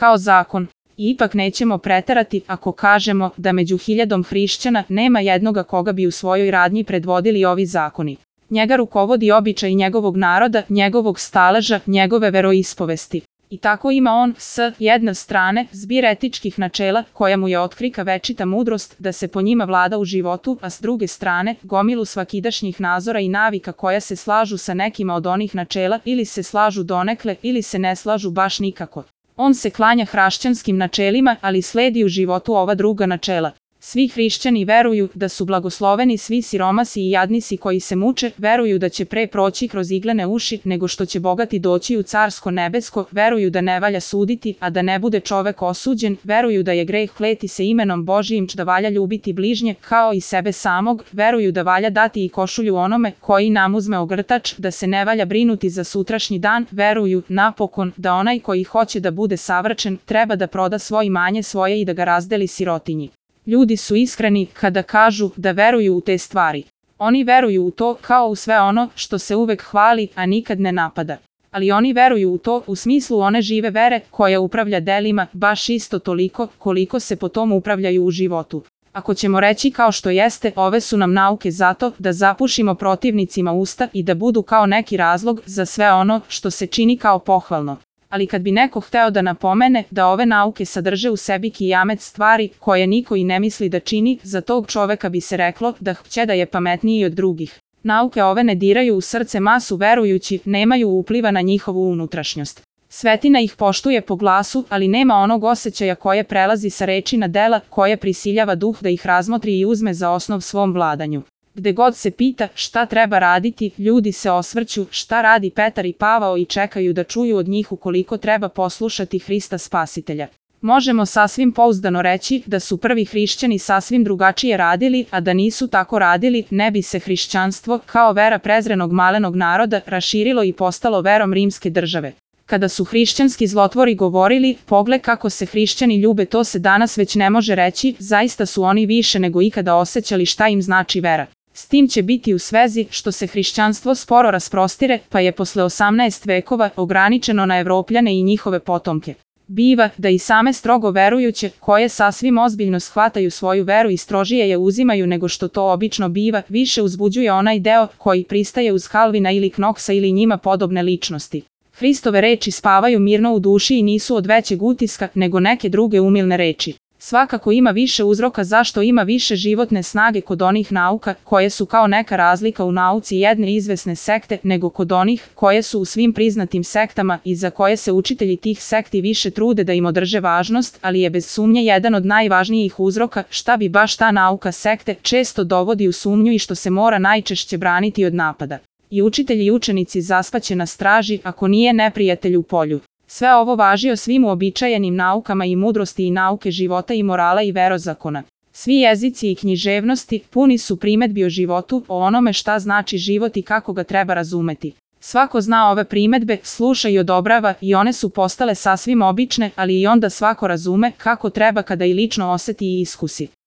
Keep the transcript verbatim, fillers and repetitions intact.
kao zakon. I ipak nećemo preterati ako kažemo da među hiljadom hrišćana nema jednoga koga bi u svojoj radnji predvodili ovi zakoni. Njega rukovodi običaj njegovog naroda, njegovog staleža, njegove veroispovesti. I tako ima on, s jedne strane, zbir etičkih načela koja mu je otkrika večita mudrost da se po njima vlada u životu, a s druge strane, gomilu svakidašnjih nazora i navika koja se slažu sa nekima od onih načela ili se slažu donekle ili se ne slažu baš nikako. On se klanja hrišćanskim načelima, ali sledi u životu ova druga načela. Svi hrišćani veruju da su blagosloveni svi siromasi i jadnici koji se muče, veruju da će pre proći kroz iglene uši nego što će bogati doći u carsko nebesko, veruju da ne valja suditi, a da ne bude čovek osuđen, veruju da je greh kleti se imenom Božijim, da valja ljubiti bližnje kao i sebe samog, veruju da valja dati i košulju onome koji nam uzme ogrtač, da se ne valja brinuti za sutrašnji dan, veruju, napokon, da onaj koji hoće da bude savršen, treba da proda svoje imanje svoje i da ga razdeli sirotinji. Ljudi su iskreni kada kažu da veruju u te stvari. Oni veruju u to kao u sve ono što se uvek hvali, a nikad ne napada. Ali oni veruju u to u smislu one žive vere koja upravlja delima baš isto toliko koliko se po tom upravljaju u životu. Ako ćemo reći kao što jeste, ove su nam nauke zato da zapušimo protivnicima usta i da budu kao neki razlog za sve ono što se čini kao pohvalno. Ali kad bi neko hteo da napomene da ove nauke sadrže u sebi kijamet stvari koje niko i ne misli da čini, za tog čoveka bi se reklo da će da je pametniji od drugih. Nauke ove ne diraju u srce masu verujući, nemaju upliva na njihovu unutrašnjost. Svetina ih poštuje po glasu, ali nema onog osjećaja koje prelazi sa reči na dela, koje prisiljava duh da ih razmotri i uzme za osnov svom vladanju. Gde god se pita šta treba raditi, ljudi se osvrću šta radi Petar i Pavao i čekaju da čuju od njih ukoliko treba poslušati Hrista Spasitelja. Možemo sasvim pouzdano reći da su prvi hrišćani sasvim drugačije radili, a da nisu tako radili, ne bi se hrišćanstvo, kao vera prezrenog malenog naroda, raširilo i postalo verom rimske države. Kada su hrišćanski zlotvori govorili, pogled kako se hrišćani ljube, to se danas već ne može reći, zaista su oni više nego ikada osjećali šta im znači vera. S tim će biti u svezi što se hrišćanstvo sporo rasprostire, pa je posle osamnaest vekova ograničeno na Evropljane i njihove potomke. Biva da i same strogo verujuće, koje sasvim ozbiljno shvataju svoju veru i strožije je uzimaju nego što to obično biva, više uzbuđuje onaj deo koji pristaje uz Kalvina ili Knoksa ili njima podobne ličnosti. Hristove reči spavaju mirno u duši i nisu od većeg utiska nego neke druge umilne reči. Svakako ima više uzroka zašto ima više životne snage kod onih nauka koje su kao neka razlika u nauci jedne izvesne sekte nego kod onih koje su u svim priznatim sektama i za koje se učitelji tih sekti više trude da im održe važnost, ali je bez sumnje jedan od najvažnijih uzroka šta bi baš ta nauka sekte često dovodi u sumnju i što se mora najčešće braniti od napada. I učitelji i učenici zaspaće na straži ako nije neprijatelj u polju. Sve ovo važi o svim uobičajenim naukama i mudrosti i nauke života i morala i verozakona. Svi jezici i književnosti puni su primetbi o životu, o onome šta znači život i kako ga treba razumeti. Svako zna ove primetbe, sluša i odobrava i one su postale sasvim obične, ali i onda svako razume kako treba kada i lično oseti i iskusi.